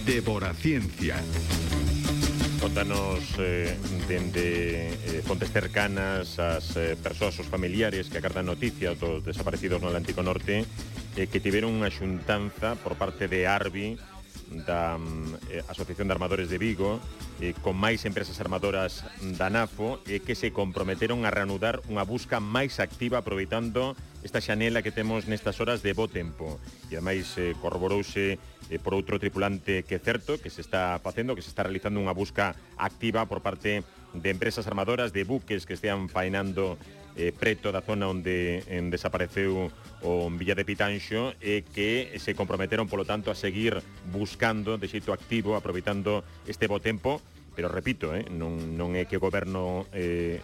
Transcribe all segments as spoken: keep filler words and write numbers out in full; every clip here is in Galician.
Deboraciencia. Contanos eh, dende eh, fontes cercanas as eh, persoas, os familiares que acardan noticias dos desaparecidos no Atlántico Norte, eh, que tiveron unha xuntanza por parte de Arbi, da eh, Asociación de Armadores de Vigo, eh, con máis empresas armadoras da NAFO, e eh, que se comprometeron a reanudar unha busca máis activa aproveitando esta xanela que temos nestas horas de bo tempo. E ademais eh, corroborouse eh, por outro tripulante que é certo que se está facendo, que se está realizando unha busca activa por parte de empresas armadoras, de buques que estean faenando eh, preto da zona onde en desapareceu o Villa de Pitanxo, e que se comprometeron, polo tanto, a seguir buscando de xeito activo, aproveitando este bo tempo. Pero repito, eh, non, non é que o goberno eh,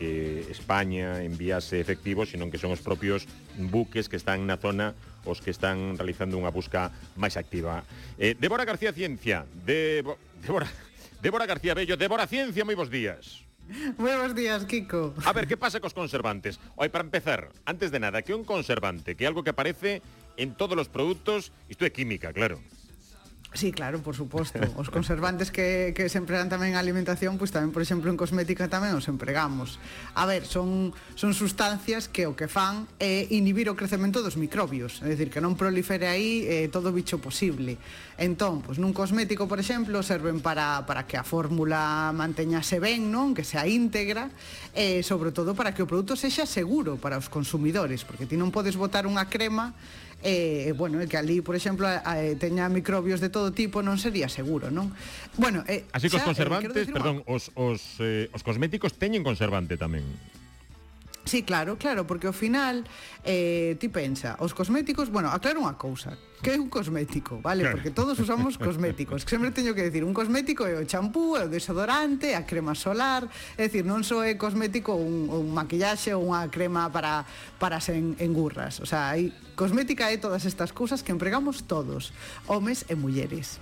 que España enviase efectivos, sino que son os propios buques que están na zona os que están realizando unha busca máis activa. Eh, Débora García Ciencia, Debo, Débora, Débora García Bello, Débora Ciencia, moi bons días. Buenos días, Kiko. A ver, que pasa cos conservantes? Oi, para empezar, antes de nada, que un conservante, que é algo que aparece en todos os produtos, isto é química, claro. Sí, claro, por suposto. Os conservantes que, que se empregan tamén en alimentación, pois tamén, por exemplo, en cosmética tamén os empregamos. A ver, son, son sustancias que o que fan é inhibir o crecemento dos microbios, é dicir, que non prolifere aí eh, todo bicho posible. Entón, pois nun cosmético, por exemplo, serven para, para que a fórmula manteñase ben, non? Que sea íntegra, e sobre todo para que o produto sexa seguro para os consumidores, porque ti non podes botar unha crema e, eh, bueno, que ali, por exemplo, eh, teña microbios de todo tipo, non sería seguro, non? Bueno, eh, así que os xa, conservantes, eh, perdón, unha... os, os, eh, os cosméticos teñen conservante tamén. Sí, claro, claro, porque ao final eh, ti pensa, os cosméticos, bueno, aclaro unha cousa, que é un cosmético, vale? Claro. Porque todos usamos cosméticos, que sempre teño que decir, un cosmético é o champú, é o desodorante, a crema solar, é dicir, non só é cosmético un, un maquillaxe ou unha crema para, para se engurras, o sea, hai cosmética é todas estas cousas que empregamos todos, homes e mulleres.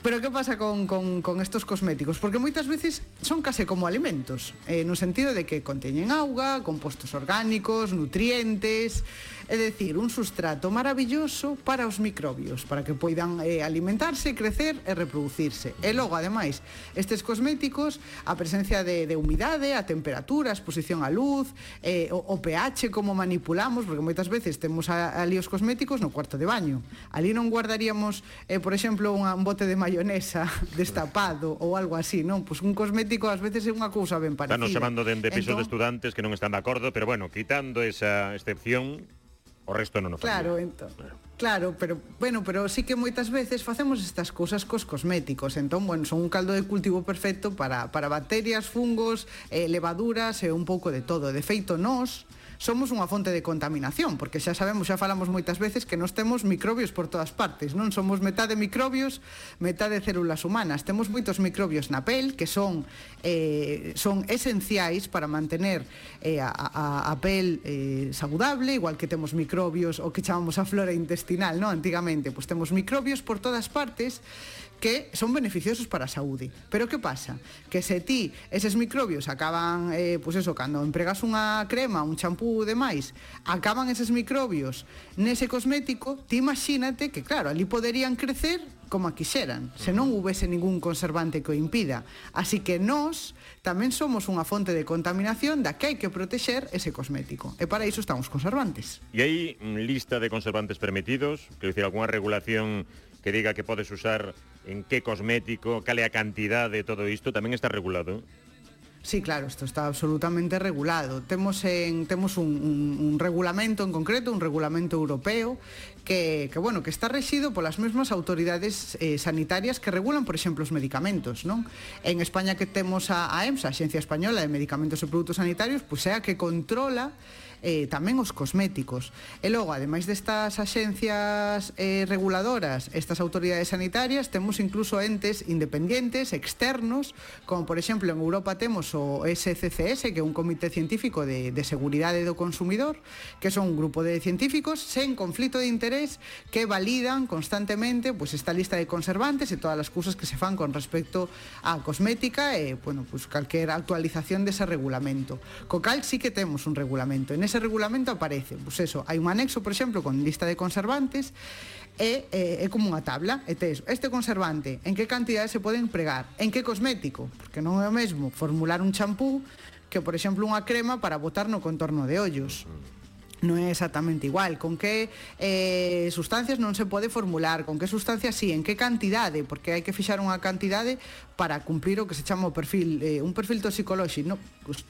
Pero que pasa con, con, con estos cosméticos? Porque moitas veces son case como alimentos, eh, no sentido de que conteñen auga, compostos orgánicos, nutrientes, é dicir, un sustrato maravilloso para os microbios, para que poidan eh, alimentarse, crecer e reproducirse. E logo, ademais, estes cosméticos, a presencia de, de humidade, a temperatura, a exposición á luz, eh, o, o pH, como manipulamos, porque moitas veces temos a, ali os cosméticos no cuarto de baño. Ali non guardaríamos, eh, por exemplo, unha, un bote de mayonesa destapado ou algo así, non? Pois un cosmético ás veces é unha cousa ben parecida. Están nos chamando dende pisos entón, de estudantes que non están de acordo, pero bueno, quitando esa excepción, o resto non o facía. Claro, entón, claro, pero bueno, pero sí que moitas veces facemos estas cousas cos cosméticos. Entón, bueno, son un caldo de cultivo perfecto para, para bacterias, fungos, eh, levaduras e un pouco de todo. De feito, nós somos unha fonte de contaminación, porque xa sabemos, xa falamos moitas veces que nós temos microbios por todas partes, non? Somos metade microbios, metade células humanas. Temos moitos microbios na pel que son eh, son esenciais para mantener eh, a, a, a pel eh, saudable, igual que temos microbios o que chamamos a flora intestinal, non? Antigamente, pois temos microbios por todas partes que son beneficiosos para a saúde. Pero que pasa? Que se ti eses microbios acaban, eh, pois eso, cando empregas unha crema, un champú e demais, acaban eses microbios nese cosmético, ti imagínate que, claro, ali poderían crecer como a quixeran, se non houvese ningún conservante que o impida. Así que nós tamén somos unha fonte de contaminación da que hai que protexer ese cosmético. E para iso están os conservantes. E hai lista de conservantes permitidos? Quero dicir, algunha regulación que diga que podes usar en que cosmético, cal é a cantidade de todo isto, tamén está regulado? Sí, claro, isto está absolutamente regulado. Temos en temos un, un, un regulamento en concreto, un regulamento europeo que, que bueno, que está rexido polas mesmas autoridades eh, sanitarias que regulan, por exemplo, os medicamentos, non? En España que temos a, a EMSA, a Axencia Española de Medicamentos e Produtos Sanitarios, pois é a que controla eh, tamén os cosméticos. E logo, ademais destas axencias eh, reguladoras, estas autoridades sanitarias, temos incluso entes independientes, externos, como por exemplo en Europa temos o S C C S, que é un comité científico de, de seguridade do consumidor, que son un grupo de científicos sen conflito de interés que validan constantemente pues, esta lista de conservantes e todas as cousas que se fan con respecto á cosmética e, bueno, pues, calquera actualización dese regulamento. Co cal sí que temos un regulamento. En nese regulamento aparece, pois eso, hai un anexo, por exemplo, con lista de conservantes, e é, é como unha tabla, e tes este conservante, en que cantidade se pode empregar, en que cosmético, porque non é o mesmo formular un champú que, por exemplo, unha crema para botar no contorno de ollos. Non é exactamente igual, con que eh, sustancias non se pode formular, con que sustancias sí, en que cantidade, porque hai que fixar unha cantidade para cumplir o que se chama o perfil, eh, un perfil toxicolóxico, no,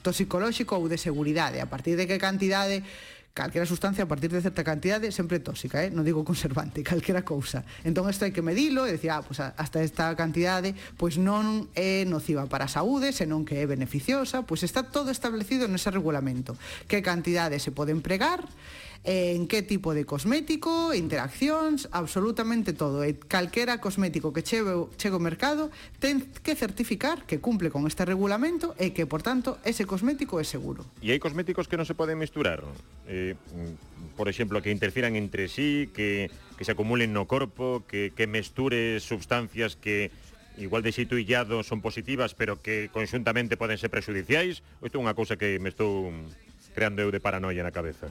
toxicolóxico ou de seguridade, a partir de que cantidade, calquera sustancia a partir de certa cantidade sempre tóxica, eh? Non digo conservante, calquera cousa. Entón isto hai que medilo e dicir, ah, pues hasta esta cantidade pois non é nociva para a saúde, senón que é beneficiosa, pois está todo establecido nese regulamento. Que cantidade se pode empregar, en que tipo de cosmético, interaccións, absolutamente todo. E calquera cosmético que chegue, chegue ao mercado ten que certificar que cumple con este regulamento e que, por tanto, ese cosmético é seguro. E hai cosméticos que non se poden misturar? Eh, por exemplo, que interfiran entre sí, que, que se acumulen no corpo, que, que mesture substancias que igual de xeito illado son positivas, pero que conxuntamente poden ser prexudiciais? Ou isto é unha cousa que me estou creando eu de paranoia na cabeza?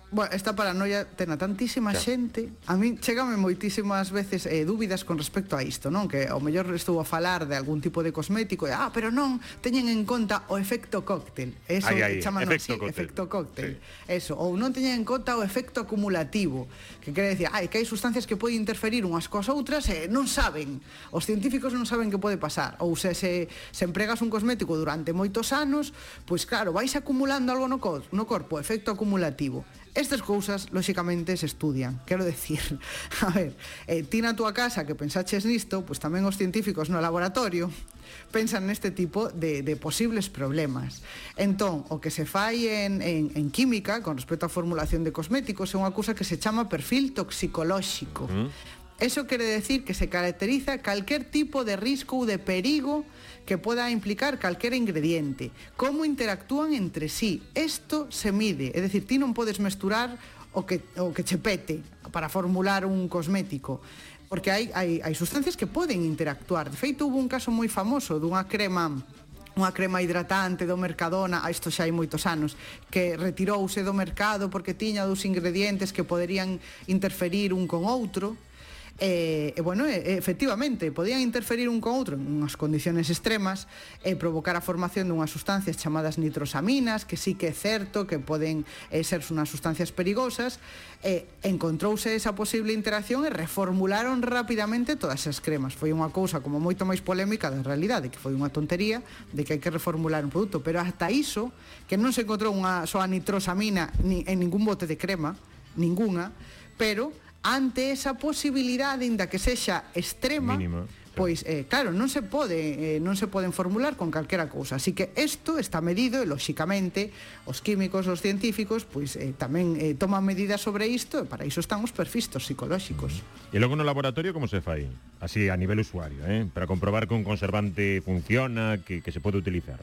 Bueno, esta paranoia ten a tantísima xa. xente. A mí chégame moitísimas veces eh, dúbidas con respecto a isto, non? Que ao mellor estou a falar de algún tipo de cosmético e, ah, pero non, teñen en conta o efecto cóctel. Eso ai, ai, chaman efecto así, cóctel. efecto cóctel. Sí. Eso, ou non teñen en conta o efecto acumulativo, que quere decir, ai, que hai sustancias que poden interferir unhas coas outras e non saben. Os científicos non saben que pode pasar. Ou se, se, se empregas un cosmético durante moitos anos, pois claro, vais acumulando algo no, co no corpo, efecto acumulativo. Estas cousas, lóxicamente, se estudian. Quero decir, a ver, eh, ti na túa casa que pensaches nisto, pois tamén os científicos no laboratorio pensan neste tipo de, de posibles problemas. Entón, o que se fai en, en, en química, con respecto á formulación de cosméticos, é unha cousa que se chama perfil toxicolóxico. Mm. Eso quere decir que se caracteriza calquer tipo de risco ou de perigo que poda implicar calquera ingrediente, como interactúan entre sí. Isto se mide, é dicir, ti non podes mesturar o que, o que che pete para formular un cosmético, porque hai, hai, hai sustancias que poden interactuar. De feito, hubo un caso moi famoso dunha crema unha crema hidratante do Mercadona, a isto xa hai moitos anos, que retirouse do mercado porque tiña dos ingredientes que poderían interferir un con outro. E, e bueno, e, efectivamente, podían interferir un con outro en unhas condiciones extremas e provocar a formación dunhas sustancias chamadas nitrosaminas, que sí que é certo que poden eh, ser unhas sustancias perigosas. E encontrouse esa posible interacción e reformularon rapidamente todas as cremas. Foi unha cousa como moito máis polémica da realidade, que foi unha tontería de que hai que reformular un produto, pero hasta iso, que non se encontrou unha soa nitrosamina ni, en ningún bote de crema, ninguna, pero ante esa posibilidade, inda que sexa extrema, mínima, pois, eh, claro, non se pode eh, non se poden formular con calquera cousa. Así que isto está medido e, lóxicamente, os químicos, os científicos, pois eh, tamén eh, toman medidas sobre isto, e para iso están os perfis psicolóxicos. Mm. E logo no laboratorio como se fai? Así, a nivel usuario, eh? Para comprobar que un conservante funciona, que, que se pode utilizar.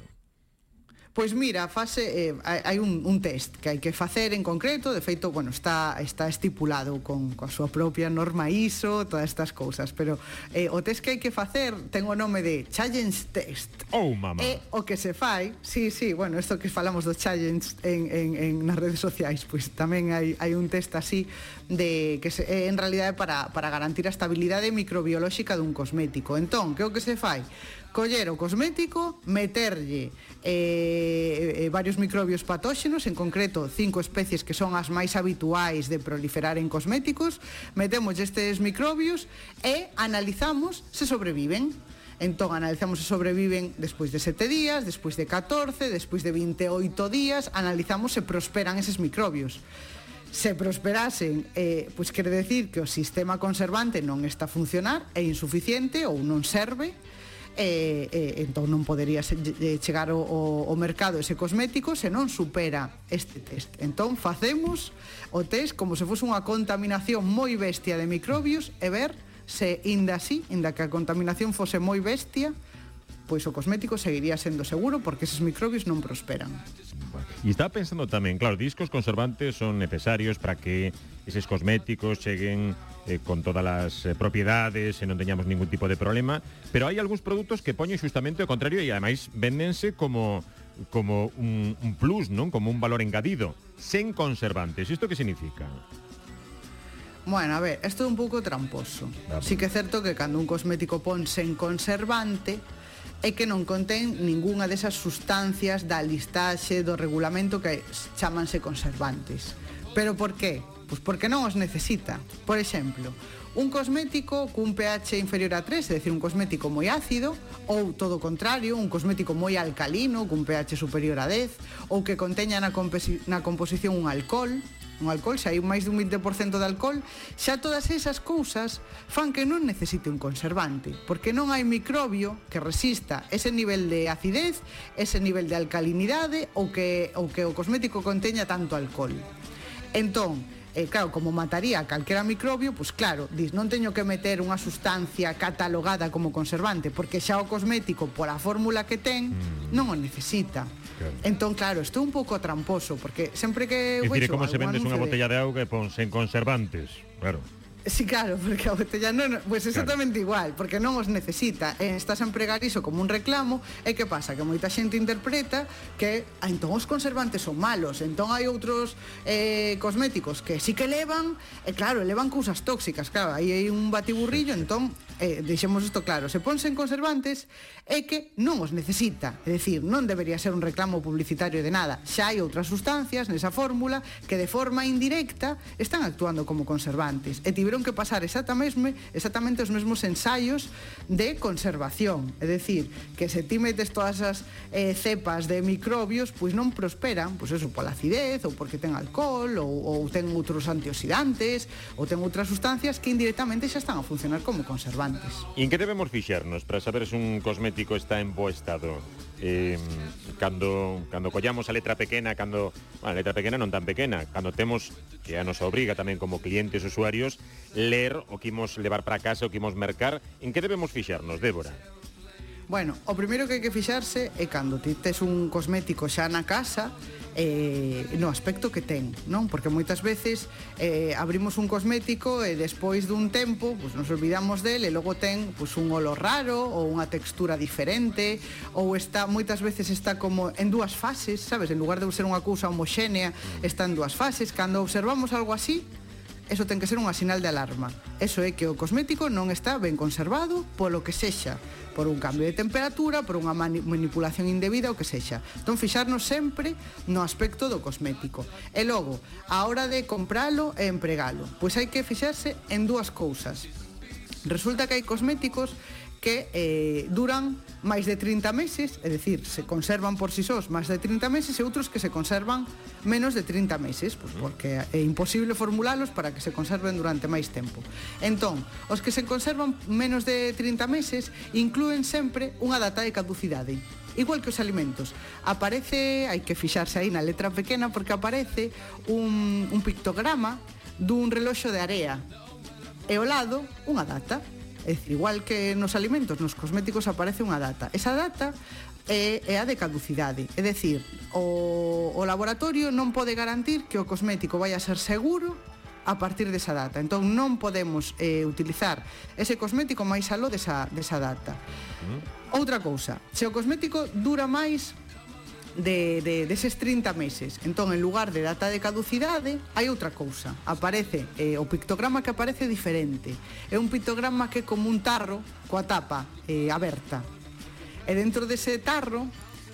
Pois mira, fase, eh, hai un, un test que hai que facer en concreto, de feito, bueno, está, está estipulado con, con a súa propia norma I S O, todas estas cousas, pero eh, o test que hai que facer ten o nome de Challenge Test. Oh, mamá! E o que se fai, sí, sí, bueno, isto que falamos do challenge en, en, en nas redes sociais, pois tamén hai, hai un test así, de que se, eh, en realidade para, para garantir a estabilidade microbiolóxica dun cosmético. Entón, que o que se fai? Coller o cosmético, meterlle eh, eh, varios microbios patóxenos, en concreto cinco especies que son as máis habituais de proliferar en cosméticos, metemos estes microbios e analizamos se sobreviven. Entón, analizamos se sobreviven despois de sete días, despois de catorce, despois de vinte e oito días, analizamos se prosperan eses microbios. Se prosperasen, eh, pois quere decir que o sistema conservante non está a funcionar, é insuficiente ou non serve, E, e entón non podería chegar ao, ao mercado ese cosmético se non supera este test. Entón facemos o test como se fose unha contaminación moi bestia de microbios e ver se, inda así, inda que a contaminación fose moi bestia, pois o cosmético seguiría sendo seguro porque eses microbios non prosperan. E estaba pensando tamén, claro, discos conservantes son necesarios para que eses cosméticos cheguen eh, con todas as eh, propiedades e non teñamos ningún tipo de problema, pero hai algúns produtos que poñen xustamente o contrario e ademais véndense como como un, un plus, non? Como un valor engadido, sen conservantes. Isto que significa? Bueno, a ver, isto é un pouco tramposo. Vamos. Sí que é certo que cando un cosmético pon sen conservante é que non contén ningunha desas sustancias da listaxe do regulamento que chamanse conservantes. Pero por qué? Pois porque non os necesita. Por exemplo, un cosmético cun pH inferior a tres, é dicir, un cosmético moi ácido, ou todo o contrario, un cosmético moi alcalino, cun pH superior a dez, ou que conteña na, na composición un alcohol, un alcohol, xa hai máis dun vinte por cento de alcohol, xa todas esas cousas fan que non necesite un conservante, porque non hai microbio que resista ese nivel de acidez, ese nivel de alcalinidade ou que, ou que o cosmético conteña tanto alcohol. Entón, eh, claro, como mataría a calquera microbio, pois claro, dis, non teño que meter unha sustancia catalogada como conservante, porque xa o cosmético, pola fórmula que ten, non o necesita. Claro. Entón, claro, isto é un pouco tramposo, porque sempre que... É dicir, como se vendes unha botella de auga e pon sen conservantes, claro. Sí, claro, porque a botella non, pues exactamente claro. Igual, porque non os necesita. Eh, estás a empregar iso como un reclamo, e que pasa? Que moita xente interpreta que ah, entón os conservantes son malos, entón hai outros eh, cosméticos que sí que levan, e claro, levan cousas tóxicas, claro, aí hai un batiburrillo, entón eh, deixemos isto claro, se ponse en conservantes é que non os necesita, é dicir, non debería ser un reclamo publicitario de nada, xa hai outras sustancias nesa fórmula que de forma indirecta están actuando como conservantes, e tiveron que pasar exactamente, exactamente os mesmos ensaios de conservación, é dicir, que se ti metes todas as eh, cepas de microbios, pois non prosperan, pois eso, pola acidez, ou porque ten alcohol, ou, ou ten outros antioxidantes, ou ten outras sustancias que indirectamente xa están a funcionar como conservantes. E en que debemos fixarnos para saber se un cosmético está en bo estado? Eh, cando, cando collamos a letra pequena, cando, bueno, a letra pequena non tan pequena, cando temos, que a nos obriga tamén como clientes usuarios, ler o que imos levar para casa, o que imos mercar, en que debemos fixarnos, Débora? Bueno, o primeiro que hai que fixarse é cando ti tes un cosmético xa na casa, eh, no aspecto que ten, non? Porque moitas veces eh, abrimos un cosmético e despois dun tempo pues, nos olvidamos del e logo ten pues, un olor raro ou unha textura diferente, ou está moitas veces está como en dúas fases, sabes? En lugar de ser unha cousa homoxénea, está en dúas fases. Cando observamos algo así, eso ten que ser unha sinal de alarma. Eso é que o cosmético non está ben conservado polo que sexa, por un cambio de temperatura, por unha manipulación indebida, o que sexa. Entón, fixarnos sempre no aspecto do cosmético. E logo, a hora de compralo e empregalo, pois hai que fixarse en dúas cousas. Resulta que hai cosméticos que eh, duran máis de trinta meses, é dicir, se conservan por si sós máis de trinta meses, e outros que se conservan menos de trinta meses, pues porque é imposible formulalos para que se conserven durante máis tempo. Entón, os que se conservan menos de trinta meses inclúen sempre unha data de caducidade. Igual que os alimentos, aparece, hai que fixarse aí na letra pequena, porque aparece un, un pictograma dun reloxo de area e ao lado unha data. É dicir, igual que nos alimentos, nos cosméticos aparece unha data. Esa data é, é a de caducidade. É dicir, o, o laboratorio non pode garantir que o cosmético vai a ser seguro a partir desa data. Entón non podemos eh, utilizar ese cosmético máis aló desa, desa data. Mm. Outra cousa, se o cosmético dura máis de, de, deses trinta meses, entón en lugar de data de caducidade hai outra cousa, aparece eh, o pictograma que aparece diferente, é un pictograma que é como un tarro coa tapa eh, aberta, e dentro dese tarro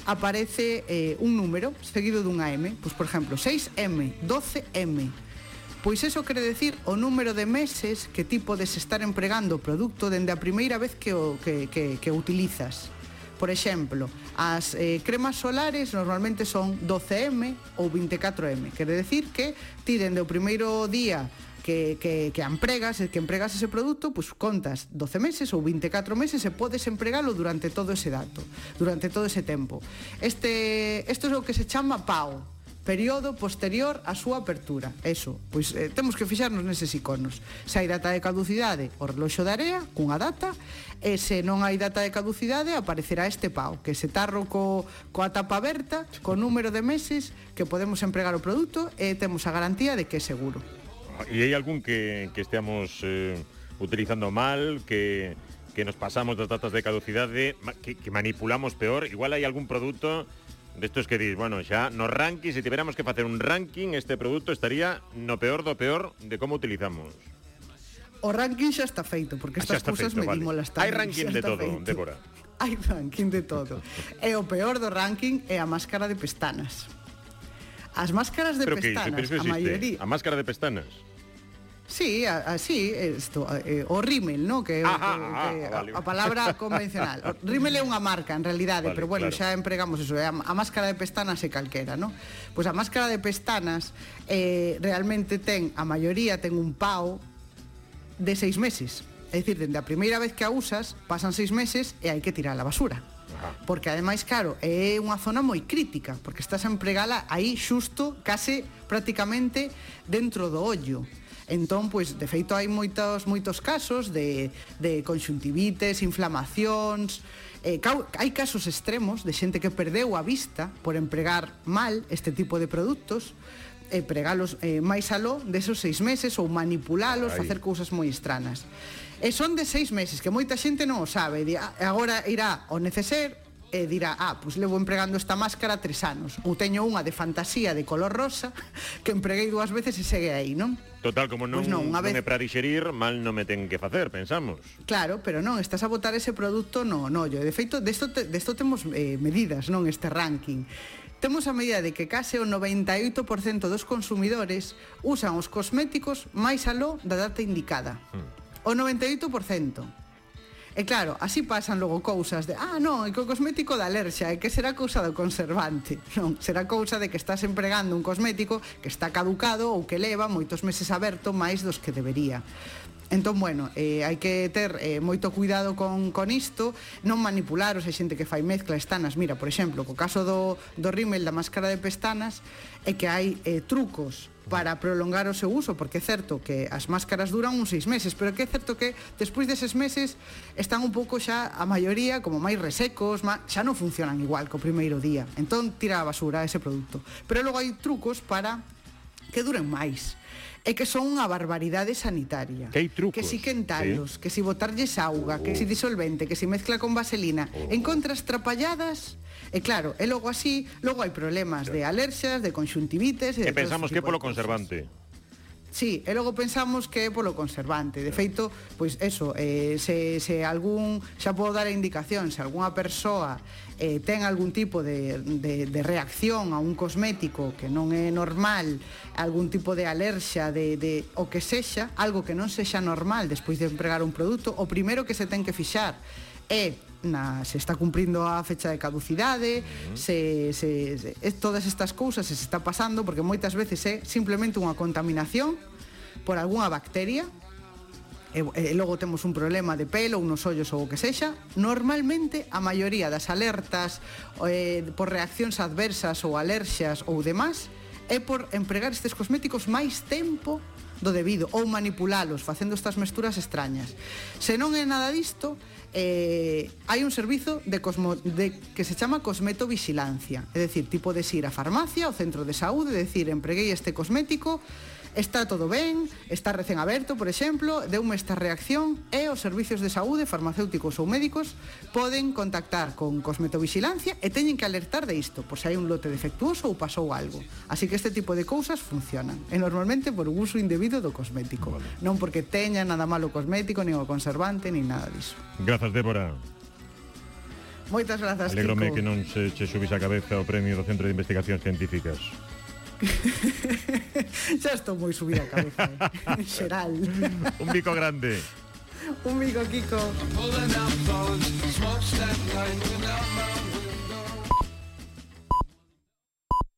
aparece eh, un número seguido dunha M, pois por exemplo seis M, doce M. Pois eso quere decir o número de meses que ti podes estar empregando o produto dende a primeira vez que o, que, que, que o utilizas. Por exemplo, as eh, cremas solares normalmente son doce M ou vinte e catro M. Quere decir que ti dende o primeiro día que, que, que empregas, que empregas ese produto, pues contas doce meses ou vinte e catro meses e podes empregalo durante todo ese dato, durante todo ese tempo. Este, isto é o que se chama P A O, período posterior á súa apertura. Eso, pois eh, temos que fixarnos neses iconos. Se hai data de caducidade, o reloxo de area cunha data, e se non hai data de caducidade aparecerá este P A O, que se tarro co, coa tapa aberta, co número de meses que podemos empregar o produto, e temos a garantía de que é seguro. E hai algún que, que esteamos eh, utilizando mal, que, que nos pasamos das datas de caducidade, que, que manipulamos peor? Igual hai algún produto Destos que dis, bueno, xa no ranking, se tiveramos que facer un ranking, este produto estaría no peor do peor de como utilizamos. O ranking xa está feito, porque estas cousas medímolas tamén. Hai ranking de todo, feito. Débora. Hai ranking de todo. E o peor do ranking é a máscara de pestanas. As máscaras de pero pestanas, que, pero a maioría... A máscara de pestanas? Sí, así, esto, eh, o rímel, ¿no? Que, ah, que, ah, que vale. a, a palabra convencional. O rímel é unha marca, en realidade, vale, pero bueno, claro. Xa empregamos eso, é a, a máscara de pestanas é calquera, ¿no? Pois a máscara de pestanas eh, realmente ten, a maioría ten un pao de seis meses. É dicir, dende a primeira vez que a usas, pasan seis meses e hai que tirar a basura. Ajá. Porque ademais, claro, é unha zona moi crítica, porque estás a empregala aí xusto, case prácticamente dentro do ollo. Entón, pois, de feito, hai moitos moitos casos de, de conxuntivites, inflamacións, eh, hai casos extremos de xente que perdeu a vista por empregar mal este tipo de produtos, e eh, pregalos eh, máis aló desos seis meses ou manipulalos, Ay. facer cousas moi estranas. E son de seis meses, que moita xente non o sabe, di, agora irá ao neceser e dirá, ah, pois levo empregando esta máscara tres anos, ou teño unha de fantasía de color rosa que empreguei dúas veces e segue aí, non? Total, como non, pues non, non vez... é para dixerir, mal non me ten que facer, pensamos. Claro, pero non, estás a botar ese produto no ollo. De feito, desto, te, desto temos eh, medidas, non, este ranking. Temos a medida de que case o noventa e oito por cento dos consumidores usan os cosméticos máis aló da data indicada. Hmm. O noventa e oito por cento. E claro, así pasan logo cousas de ah, non, é que o cosmético da alerxa, é que será cousa do conservante. Non, será cousa de que estás empregando un cosmético que está caducado ou que leva moitos meses aberto máis dos que debería. Entón, bueno, eh, hai que ter eh, moito cuidado con, con isto, non manipularos, hai xente que fai mezcla estanas. Mira, por exemplo, co caso do, do rímel da máscara de pestanas, é que hai eh, trucos para prolongar o seu uso, porque é certo que as máscaras duran uns seis meses, pero que é certo que despois deses meses están un pouco xa, a maioría, como máis resecos, má, xa non funcionan igual co primeiro día. Entón, tira a basura ese produto. Pero logo hai trucos para que duren máis. É que son unha barbaridade sanitaria. Que hai trucos. Que si quentalos, sí. Que si botarlles auga, oh. Que si disolvente, que si mezcla con vaselina. Oh. Encontras trapalladas. E claro, e logo así, logo hai problemas de alerxias, de conxuntivites. E, e pensamos que é polo conservante. Sí, e logo pensamos que é polo conservante. De feito, pois eso, eh, se, se algún, xa podo dar a indicación, se algunha persoa eh, ten algún tipo de, de, de reacción a un cosmético que non é normal, algún tipo de alerxa, de, de o que sexa, algo que non sexa normal despois de empregar un produto, o primeiro que se ten que fixar é na, se está cumprindo a fecha de caducidade, uh-huh. se, se, se, todas estas cousas se está pasando, porque moitas veces é simplemente unha contaminación por algunha bacteria, e, e logo temos un problema de pelo, unos ollos ou o que sexa. Normalmente a maioría das alertas eh, por reaccións adversas ou alerxias ou demás é por empregar estes cosméticos máis tempo do debido, ou manipulalos facendo estas mesturas extrañas. Se non é nada disto, eh, hai un servizo de, cosmo, de que se chama cosmetovigilancia, é dicir, tipo de ir á farmacia, ao centro de saúde, é dicir, empreguei este cosmético, está todo ben, está recén aberto, por exemplo, deume esta reacción, e os servicios de saúde, farmacéuticos ou médicos, poden contactar con cosmetovigilancia e teñen que alertar de isto, por se hai un lote defectuoso ou pasou algo. Así que este tipo de cousas funcionan, e normalmente por uso indebido do cosmético, vale. Non porque teña nada malo o cosmético, nin o conservante, nin nada diso. Grazas, Débora. Moitas grazas, Kiko. Alegrome que non se che subís a cabeza o premio do Centro de Investigacións Científicas. Xa estou moi subida a cabeza, eh? En xeral. Un bico grande. Un bico, Kiko.